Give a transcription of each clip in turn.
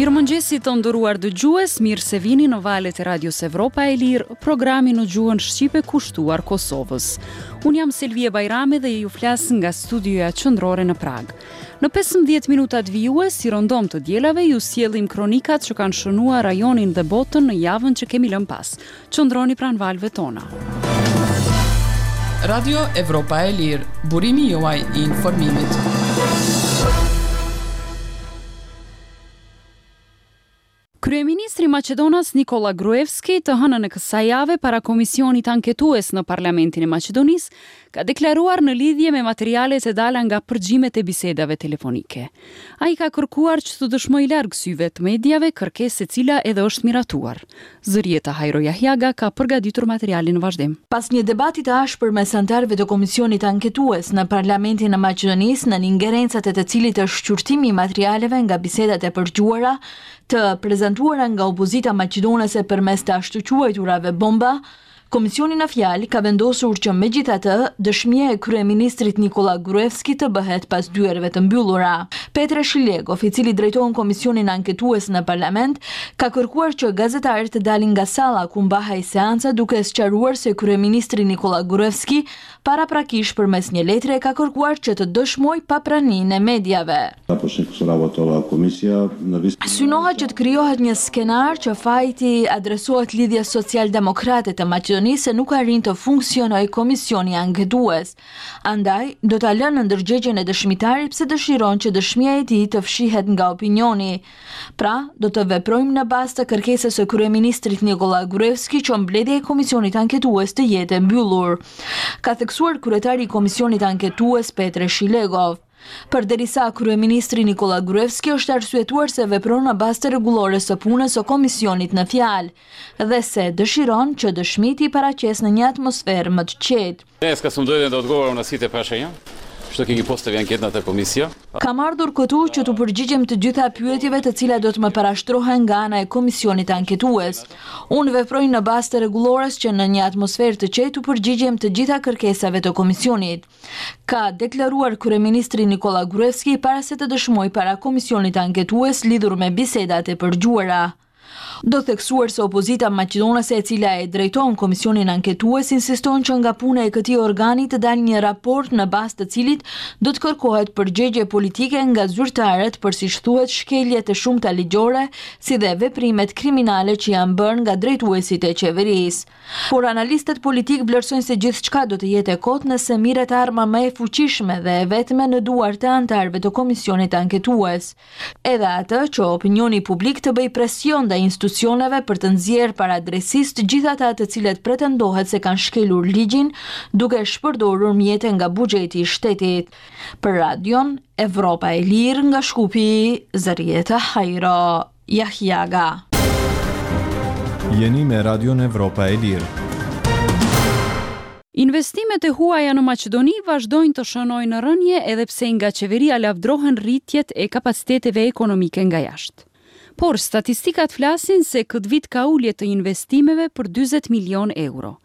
Mirëmëngjesi të nderuar dëgjues, mirë se vini në valët e Radios Evropa e Lirë, programi në gjuhën shqipe kushtuar Kosovës. Unë jam Selvije Bajrami dhe ju flas nga studioja qendrore në Pragë. Në 15 minutat vijues, si rëndom të dielave, ju sjellim kronikat që kanë shënuar rajonin dhe botën në javën që kemi lënë pas. Qëndroni pranë valëve tona. Radio Evropa e Lirë, burimi juaj i informimit. Kryeministri maqedonas Nikolla Gruevski të hënën e kësaj jave para Komisionit Anketues në Parlamentin e Maqedonisë ka deklaruar në lidhje me materialet e dala nga përgjimet e bisedave telefonike. Ai ka kërkuar që të dëshmojë larg syve të mediave, kërkesë e cila edhe është miratuar. Zërijeta Hajro Jahjaga ka përgatitur materialin në vazhdim. Pas një debati të ashpër mes anëtarëve të Komisionit Anketues në Parlamentin e Maqedonisë, nën ingerencat e të cilit është shqyrtimi i materialeve nga bisedat e përgjuara, të prezantuara nga opozita maqedonase përmes të ashtuquajturave bomba, komisioni në fjalë ka vendosur që megjithatë dëshmia e kryeministrit Nikolla Gruevski të bëhet pas dyerve të mbyllura. Petre Shilegov, i cili drejton komisionin anketues në parlament, ka kërkuar që gazetarët të dalin nga salla ku mbahej seanca duke sqaruar se kryeministri Nikolla Gruevski paraprakisht përmes një letre ka kërkuar që të dëshmojë pa praninë e mediave. Synohet që të krijohet një skenar që faji t'i adresohet Lidhjes Socialdemokrate të Maqedonisë se nuk arrin të funksionojë komisioni anketues. Andaj, do ta lë në ndërgjegjen e dëshmitarit pse dëshiron që dëshmia e tij të fshihet nga opinioni. Pra, do të veprojmë në bazë të kërkesës së kryeministrit Nikolla Gruevski që mbledhja e Komisionit Anketues të jetë e mbyllur, ka theksuar kryetari i Komisionit Anketues Petre Shilegov. Përderisa kryeministri Nikolla Gruevski është arsyetuar se vepron në bazë të rregullores së punës së komisionit në fjalë dhe se dëshiron që dëshmitë t'i paraqesë në një atmosferë më të qetë. Dneska sum dojdhen da odgovoram na site prašanja, što ke gi postavi anketnata komisija. Kam ardhur këtu që t'u përgjigjem të gjitha pyetjeve të cilat do të më parashtrohen nga ana e Komisionit Anketues. Unë veproj në bazë të rregullores që në një atmosferë të qetë t'u përgjigjem të gjitha kërkesave të komisionit, ka deklaruar kryeministri Nikolla Gruevski para se të dëshmojë para Komisionit Anketues lidhur me bisedat e përgjuara. Do theksuar se opozita maqedonase e cila e drejton Komisionin Anketues insiston që nga puna e këtij organi të dalë një raport në bazë të cilit do të kërkohet përgjegje politike nga zyrtarët për siç thuhet shkeljet e shumta ligjore si dhe veprimet kriminale që janë bërë nga drejtuesit e qeverisë. Por analistët politikë vlerësojnë se gjithçka do të jetë e kotë nëse mirret arma më e fuqishme dhe e vetme në duart e anëtarëve të Komisionit Anketues. Edhe atë që opinioni publik të bëjë presion ndaj institucioneve për të nxjerrë para drejtësisë të gjithë ata të cilët pretendohet se kanë shkelur ligjin duke shpërdorur mjete nga buxheti i shtetit. Për Radion Evropa e Lirë nga Shkupi, Zërijeta Hajro Jahjaga. Jeni me Radion Evropa e Lirë. Investimet e huaja në Maqedoni vazhdojnë të shënojnë rënie edhe pse nga qeveria lavdrohen rritjet e kapaciteteve ekonomike nga jashtë. Por, statistikat flasin se këtë vit ka ulje të investimeve për 40 milionë euro.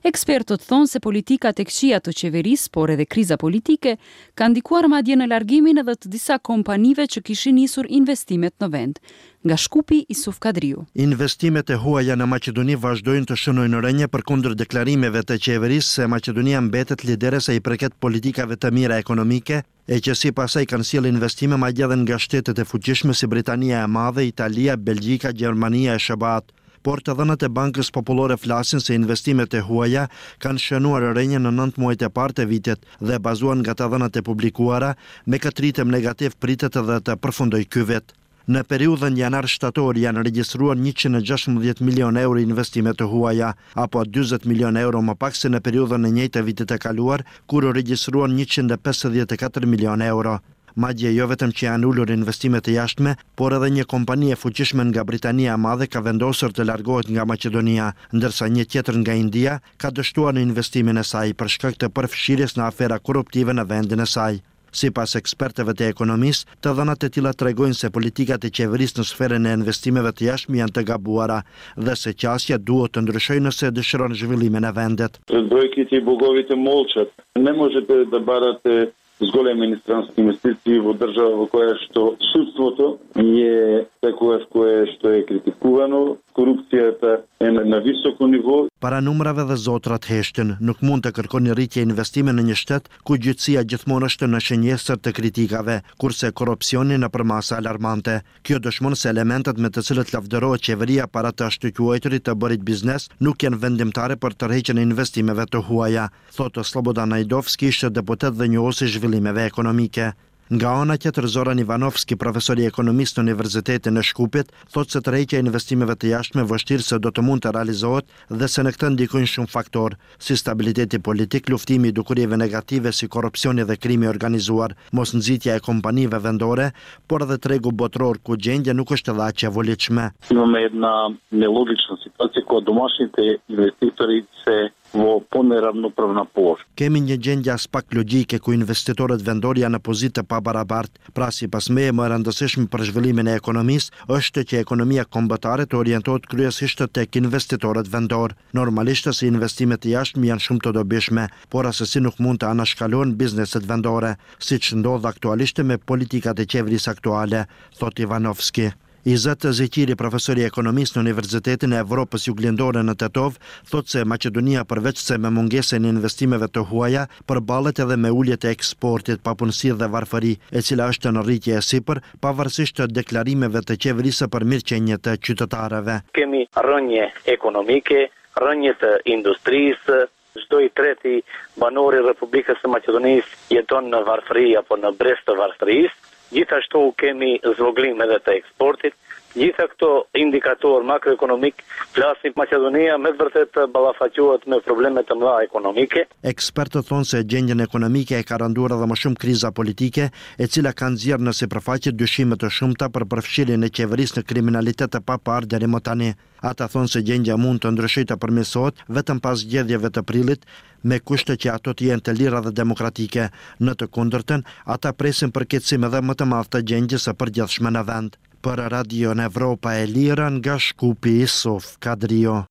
Ekspertët thonë se politikat e këqija të qeverisë, por edhe kriza politike, kanë ndikuar madje në largimin edhe të disa kompanive që kishin nisur investimet në vend. Nga Shkupi, Isuf Kadriu. Investimet e huaja në Maqedoni vazhdojnë të shënojnë rënie përkundër deklarimeve të qeverisë se Maqedonia mbetet lidere sa i përket politikave të mira ekonomike, e që sipas saj kanë sjellë investime madje edhe nga shtetet e fuqishme si Britania e Madhe, Italia, Belgjika, Gjermania e SHBA-të. Por të dhënat e Bankës Popullore flasin se investimet e huaja kanë shënuar rënie në nëntë muajt e parë të vitit dhe bazuar nga të dhënat e publikuara, me këtë ritëm negativ pritet edhe të përfundojë ky vit. Në periudhën janar-shtator janë regjistruar 116 milionë euro investime të huaja, apo 40 milionë euro më pak se në periudhën e njëjtë të vitit të kaluar, kur u regjistruan 154 milionë euro. Madje jo vetëm që janë ulur investimet e jashtme, por edhe një kompani e fuqishme nga Britania e Madhe ka vendosur të largohet nga Maqedonia, ndërsa një tjetër nga India ka dështuar në investimin e saj për shkak të përfshirjes në afera korruptive në vendin e saj. Sipas ekspertëve të ekonomisë, të dhënat e tilla tregojnë se politikat e qeverisë në sferën e investimeve të jashtme janë të gabuara dhe se qasja duhet të ndryshojë nëse dëshiron zhvillimin e vendit. Brojkите и боговите молчат. Не можете да барате. Зголемени странски инвестиции во држава во која што судството е секогаш кое што е критикувано, корупцијата е на високо ниво. Para numrave dhe zotrat heshtin, nuk mund të kërkoni rritje investime në një shtet ku gjyqësia gjithmonë është në shënjestër të kritikave, kurse korrupsioni në përmasa alarmante. Kjo dëshmon se elementet me të cilët lavdërohet qeveria para të ashtuquajturit të bërit biznes nuk janë vendimtare për tërheqjen e investimeve të huaja, thotë Slobodan Najdovski, ish deputet dhe njohës i zhvillimeve ekonomike. Nga ana tjetër Zoran Ivanovski, profesor i ekonomisë në Universitetin e Shkupit, thotë se tërheqja e investimeve të jashtme vështirë se do të mund të realizohet dhe se në këtë ndikojnë shumë faktorë, si stabiliteti politik, luftimi i dukurive negative si korrupsioni dhe krimi i organizuar, mosnxitja e kompanive vendore, por edhe tregu botëror ku gjendja nuk është edhe aq e volitshme. Имаме една нелогична ситуација кога домашните инвеститори се во понеравноправна положба. Kemi një gjendje aspak logjike ku investitorët vendorë janë në pozitë të pabarabartë. Pra sipas meje më e rëndësishme për zhvillimin e ekonomisë është që ekonomia kombëtare të orientohet kryesisht tek investitorët vendorë. Normalisht se investimet e jashtme janë shumë të dobishme, por assesi nuk mund të anashkalohen bizneset vendore, siç ndodh aktualisht me politikat e qeverisë aktuale, thotë Ivanovski. Izet Zeqiri, profesor i ekonomisë në Universitetin e Evropës Juglindore në Tetovë, thotë se Maqedonia përveç se me mungesën e investimeve të huaja, përballet edhe me ulje të eksportit, papunësi dhe varfëri, e cila është në rritje e sipër, pavarësisht të deklarimeve të qeverisë për mirëqenie të qytetarëve. Kemi rënie ekonomike, rënie të industrisë, çdo i treti banor i Republikës së Maqedonisë jeton në varfëri apo në brez të varfërisë, gjithashtu kemi zvogëlim edhe të eksportit. Gjitha këto indikatorë makroekonomik flasin Maqedonia me të vërtetë ballafaqohet me probleme të mëdha ekonomike. Ekspertët thonë se gjendjen ekonomike e ka rënduar edhe më shumë kriza politike, e cila ka nxjerrë në sipërfaqe dyshime të shumta për përfshirjen e qeverisë në kriminalitet të paparë deri më tani. Ata thonë se gjendja mund të ndryshojë të përmirësohet vetëm pas zgjedhjeve të prillit, me kushte që ato të jenë të lira dhe demokratike. Në të kundërtën, ata presin përkeqësim edhe më të madh të gjendjes së përgjithshme në vend. Për Radion Evropa e Lirë nga Shkupi, Isuf Kadriu.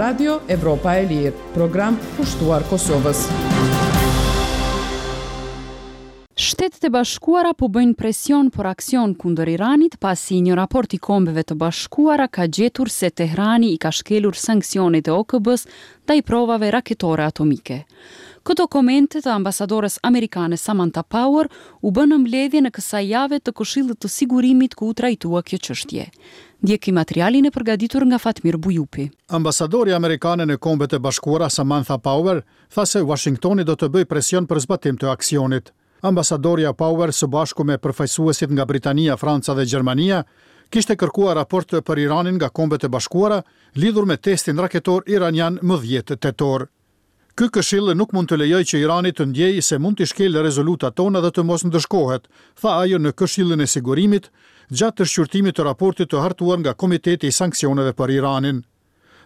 Radio Evropa e Lirë, program kushtuar Kosovës. Shtetet e Bashkuara po bëjnë presion për aksion kundër Iranit pasi një raport i Kombeve të Bashkuara ka gjetur se Tehrani i ka shkelur sanksionet e OKB-së ndaj provave raketore atomike. Këto komente të ambasadores amerikane Samantha Power u bënë në mbledhjen e kësaj jave të Këshillit të Sigurimit ku u trajtua kjo çështje. Ndjekim materialin e përgatitur nga Fatmir Bujupi. Ambasadorja amerikane në Kombet e Bashkuara Samantha Power tha se Uashingtoni do të bëjë presion për zbatim të aksionit. Ambasadorja Power së bashku me përfaqësuesit nga Britania, Franca dhe Gjermania kishte kërkuar raport për Iranin nga Kombet e Bashkuara lidhur me testin raketor iranian më 10 tetor. Ky këshill nuk mund të lejojë që Irani të ndjejë se mund t'i shkelë rezolutat tona dhe të mos ndëshkohet, tha ajo në Këshillin e Sigurimit gjatë shqyrtimit të raportit të hartuar nga Komiteti i Sanksioneve për Iranin.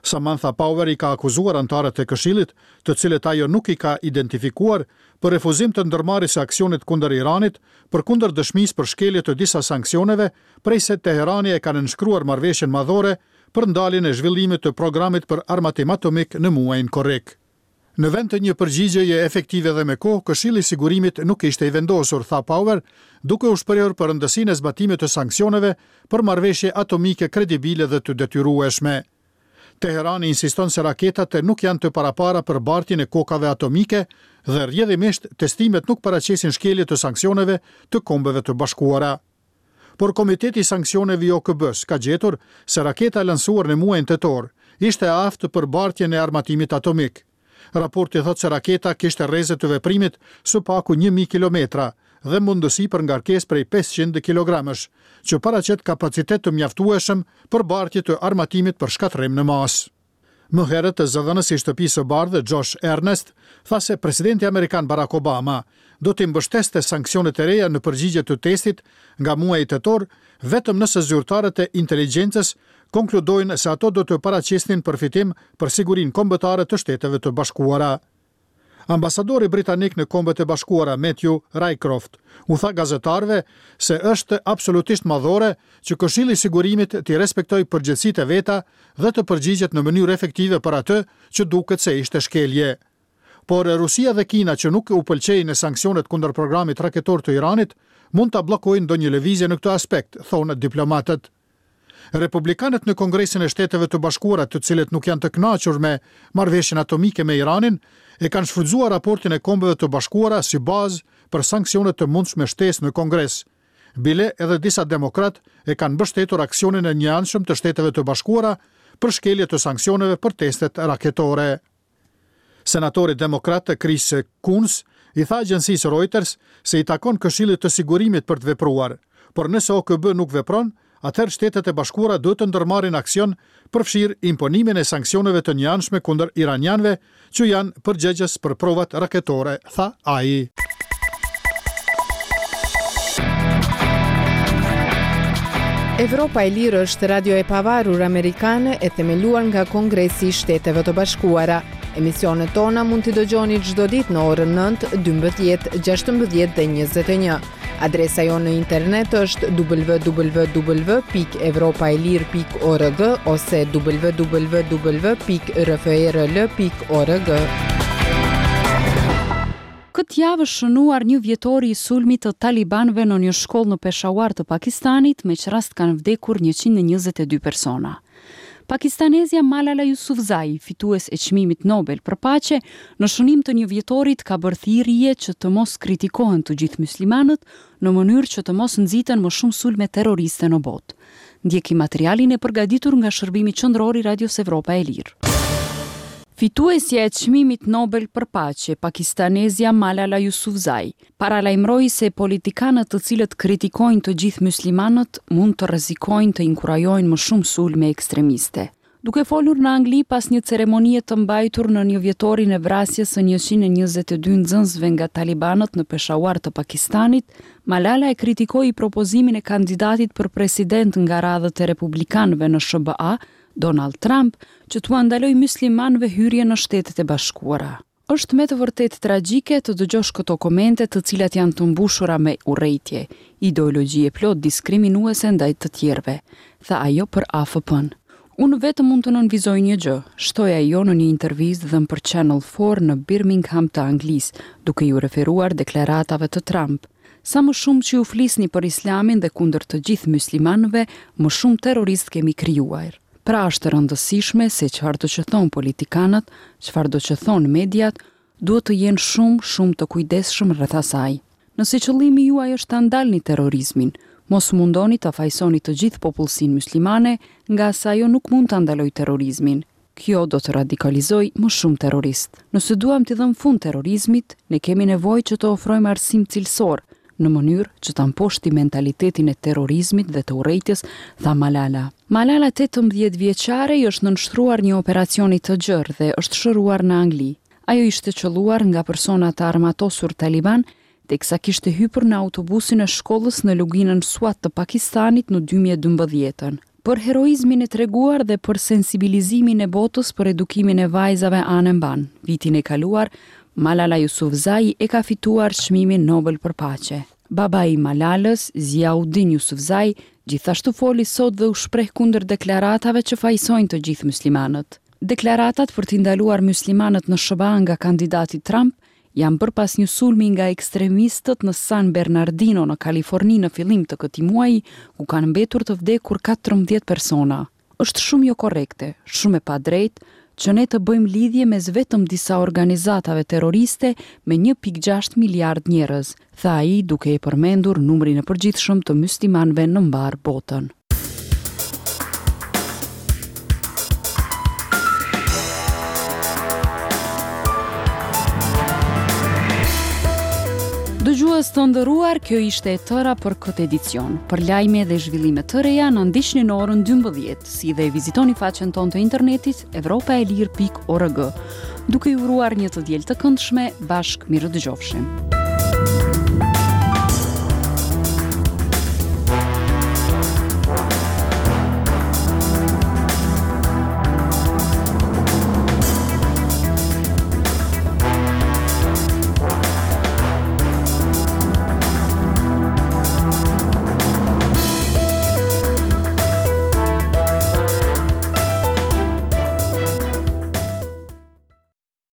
Samantha Power i ka akuzuar anëtarët e Këshillit, të cilët ajo nuk i ka identifikuar, për refuzim të ndërmarrjes së aksionit kundër Iranit, përkundër dëshmisë për shkelje të disa sanksioneve, prej se Teherani e ka nënshkruar marrëveshjen madhore për ndaljen e zhvillimit të programit për armatim atomik në muajin korrik. Në vend të një përgjigjeje efektive dhe me kohë, Këshilli i Sigurimit nuk ishte i vendosur, tha Power, duke u shprehur për rëndësinë e zbatimit të sanksioneve për marrëveshje atomike kredibile dhe të detyrueshme. Teherani insiston se raketat nuk janë të parapara për bartjen e kokave atomike dhe rrjedhimisht testimet nuk paraqesin shkelje të sanksioneve të Kombeve të Bashkuara. Por Komiteti i Sanksioneve i OKB-së ka gjetur se raketa e lansuar në muajin tetor ishte e aftë për bartjen e armatimit atomik. Raporti thotë se raketa kishte rreze të veprimit së paku 1000 kilometra dhe mundësi për ngarkesë prej 500 kilogramësh, që paraqet kapacitet të mjaftueshëm për bartje të armatimit për shkatërrim në masë. Më herët, zëdhënësi i Shtëpisë së Bardhë, Josh Earnest, tha se presidenti amerikan Barack Obama do t'i mbështeste sanksionet e reja në përgjigje të testit nga muaji tetor, vetëm nëse zyrtarët e inteligjencës konkludojnë se ato do të paraqisnin përfitim për sigurinë kombëtare të Shteteve të Bashkuara. Ambasadori britanik në Kombet e Bashkuara, Matthew Rycroft, u tha gazetarëve se është absolutisht madhore që Këshilli i Sigurimit t'i respektojë përgjegjësitë e veta dhe të përgjigjet në mënyrë efektive për atë që duket se ishte shkelje. Por Rusia dhe Kina që nuk u pëlqejnë sanksionet kundër programit raketor të Iranit, mund ta bllokojnë ndonjë lëvizje në këtë aspekt, thonë diplomatët. Republikanët në Kongresin e Shteteve të Bashkuara, të cilët nuk janë të kënaqur me marrëveshjen atomike me Iranin, e kanë shfrytëzuar raportin e Kombeve të Bashkuara si bazë për sanksione të mundshme shtesë në Kongres. Bile edhe disa demokratë e kanë mbështetur aksionin e njëanshëm të Shteteve të Bashkuara për shkelje të sanksioneve për testet raketore. Senatori demokrat Chris Coons i tha agjencisë Reuters se i takon Këshillit të Sigurimit për të vepruar, por nëse OKB nuk vepron, atëherë Shtetet e Bashkuara duhet të ndërmarrin aksion, përfshirë imponimin e sanksioneve të njëanshme kundër iranianëve që janë përgjegjës për provat raketore, tha ai. Evropa e Lirë është radio e pavarur amerikane e themeluar nga Kongresi i Shteteve të Bashkuara. Emisionet tona mund t'i dëgjoni çdo ditë në orën 9, 12, 16 dhe 21. Adresa jonë në internet është www.evropaelire.org ose www.rferl.org. Këtë javë është shënuar një vjetori i sulmit të talibanëve në një shkollë në Peshawar të Pakistanit, me ç'rast kanë vdekur 122 persona. Pakistanezja Malala Yousafzai, fitues e çmimit Nobel për paqe, në shënim të një vjetorit ka bërë thirrje që të mos kritikohen të gjithë myslimanët, në mënyrë që të mos nxiten më shumë sulme terroriste në botë. Ndjekim materialin e përgatitur nga Shërbimi Qendror i Radios Evropa e Lirë. Fituesja e Çmimit Nobel për Paqe, pakistanezja Malala Yousafzai, paralajmëroi se politikanët të cilët kritikojnë të gjithë myslimanët mund të rrezikojnë të inkurajojnë më shumë sulme ekstremiste. Duke folur në Angli pas një ceremonie të mbajtur në njëvjetorin e vrasjes së 122 nxënësve nga talibanët në Peshawar të Pakistanit, Malala e kritikoi propozimin e kandidatit për president nga radhët e republikanëve në SHBA, Donald Trump, që t'ua ndalojë myslimanëve hyrjen në Shtetet e Bashkuara. Është me të vërtetë tragjike të dëgjosh këto komente të cilat janë të mbushura me urrejtje, ideologji e plotë diskriminuese ndaj të tjerëve, tha ajo për AFP-në. Unë vetëm mund të nënvizoj një gjë, shtoi ajo në një intervistë dhënë për Channel 4 në Birmingham të Anglisë, duke iu referuar deklaratave të Trump. Sa më shumë që ju flisni për Islamin dhe kundër të gjithë myslimanëve, më shumë terroristë kemi krijuar. Pra është e rëndësishme se çfarëdo që thonë politikanët, çfarëdo që thonë mediat, duhet të jenë shumë, shumë të kujdesshëm rreth asaj. Nëse qëllimi juaj është ta ndalni terrorizmin, mos u mundoni ta fajësoni të gjithë popullsinë myslimane, ngase ajo nuk mund ta ndalojë terrorizmin. Kjo do të radikalizojë më shumë terroristë. Nëse duam t'i dhëmë fund terrorizmit, ne kemi nevojë që të ofrojmë arsim cilësor, në mënyrë që ta mposhtim mentalitetin e terrorizmit dhe të urrejtjes, tha Malala. Malala 18 vjeçare i është nënshtruar një operacioni të gjerë dhe është shëruar në Angli. Ajo ishte qëlluar nga persona të armatosur taliban teksa kishte hypur në autobusin e shkollës në luginën Swat të Pakistanit në 2012-ën. Për heroizmin e treguar dhe për sensibilizimin e botës për edukimin e vajzave anembanë, vitin e kaluar, Malala Yousafzai e ka fituar çmimin Nobel për paqe. Babai i Malalës, Ziauddin Yousafzai, gjithashtu foli sot dhe u shpreh kundër deklaratave që fajësojnë të gjithë myslimanët. Deklaratat për t'i ndaluar myslimanët në SHBA nga kandidati Trump janë bërë pas një sulmi nga ekstremistët në San Bernardino në Kaliforni në fillim të këtij muaji, ku kanë mbetur të vdekur 14 persona. Është shumë jokorrekte, shumë e padrejtë, që ne të bëjmë lidhje mes vetëm disa organizatave terroriste me 1.6 miliard njerëz, tha ai duke e përmendur numrin e përgjithshëm të myslimanëve në mbarë botën. Dëgjues të nderuar, kjo ishte e tëra për këtë edicion. Për lajme dhe zhvillime të reja, na ndiqni në orën 12, si dhe vizitoni faqen tonë të internetit evropaelire.org. Duke ju uruar një të diel të këndshme, bashkë mirudëgjofshim.